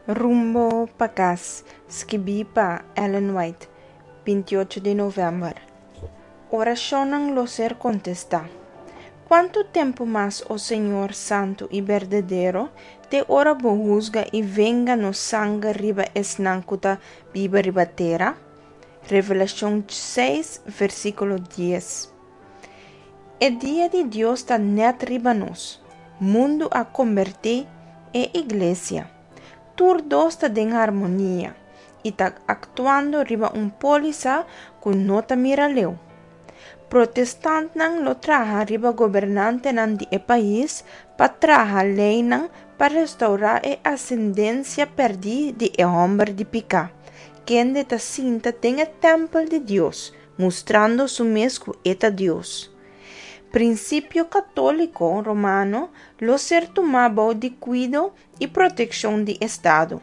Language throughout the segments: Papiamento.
Rumbo pa kas, skibí pa Ellen White, 28 di novèmber. Orashonnan lo ser kontestá. Kuantu tempu mas, o Señor santu i berdadero, te ora bo husga i venga nos sanger riba esnan ku ta biba riba tera? Revelashon 6, versíkulo 10. E dia di Dios ta nèt riba nos. Mundu a kombertí e iglesia. Tur dos ta den harmonia i ta aktuando riba un pólisa ku no ta mira leu. Protestantnan lo traha riba gobernantenan di e pais pa traha leinan pa restourá e asendensia pèrdí di e hòmber di piká, kende ta sinta den e tèmpel di Dios, mustrando su mes ku e ta Dios. Prinsipio katóliko romano lo ser tumá bou di kuido i protekshon di Estado.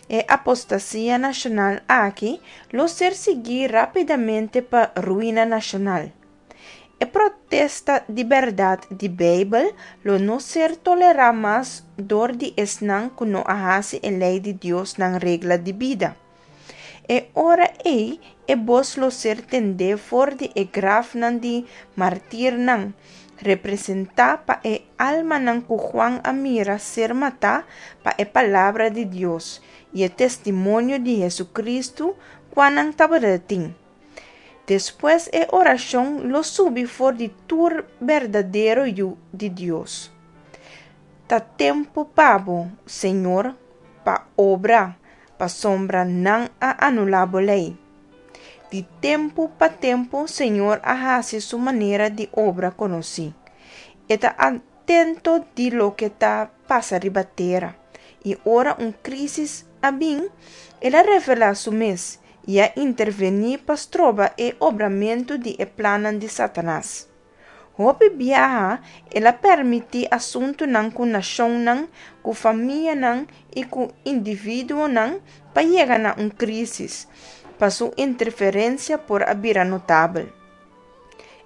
E apostasia nashonal aki lo ser siguí rápidamente pa ruina nashonal. E protesta di bèrdat di Beibel lo no ser tolerá mas dor di esnan ku no a hasi e lei di Dios nan regla di bida. E ora ei e bos lo ser tendé for di e grafnan di martirnan, representá pa e almanan ku Juan a mira ser matá pa e palabra di Dios i e testimonio di Hesukristu kua nan tabatin. Despues e orashon lo subi for di tur berdadero yu di Dios. Ta tempu pa bo, Señor, pa obra, pasobra nan a anulá bo lei. Di tempu pa tempu Señor a hasi su manera di obra konosí. E ta atento di loke ta pasa riba tera, i ora un krísis a bin, el a revelá su mes i a intervení pa stroba e obramentu di e plannan di Satanas. Hopi biaha el a permití asuntunan ku nashonnan, ku famianan i ku individuonan pa yega na un krísis, pa su interferensia por a bira notabel.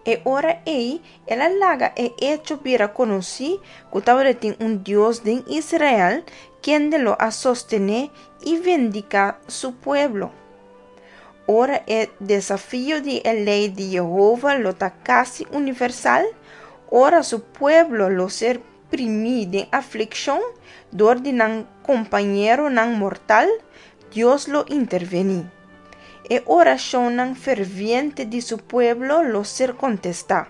E ora ei el a laga e echo bira konosí ku tabatin un Dios den Israel kende lo a sostené i vindiká su pueblo. Ora e desafio di e lei di Yehova lo ta kasi universal, ora su pueblo lo ser primí den aflikshon dor di nan kompañeronan mortal, Dios lo intervení. E orashonnan ferviente di su pueblo lo ser kontestá,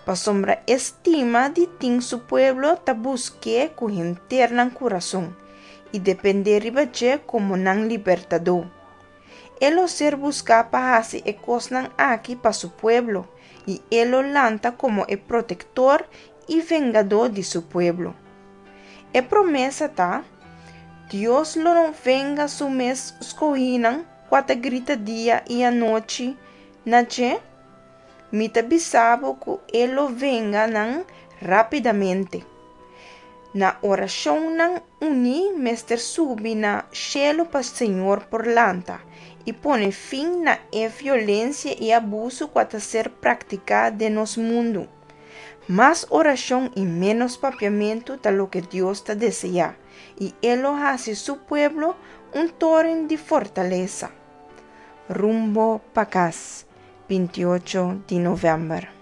pasobra e stima di tin su pueblo ta busk'é ku henter nan kurason i dependé riba dje komo nan libertadó. E lo ser buská pa hasi e kosnan aki pa su pueblo, i e lo lanta komo e protektor i vengadó di su pueblo. E promesa ta, Dios lo no venga su mes skohínan kua ta grita dia i anochi na dje? Mi ta bisa bo ku e lo venga nan rápidamente. Na orashonnan uní mester subi na shelu pa Señor por lanta i pone fin na e violensia i abuso ku ta ser praktiká den nos mundu. Mas orashon i ménos papiamentu ta loke Dios ta deseá, i e lo hasi su pueblo un toren di fortalesa. Rumbo pa kas, 28 di novèmber.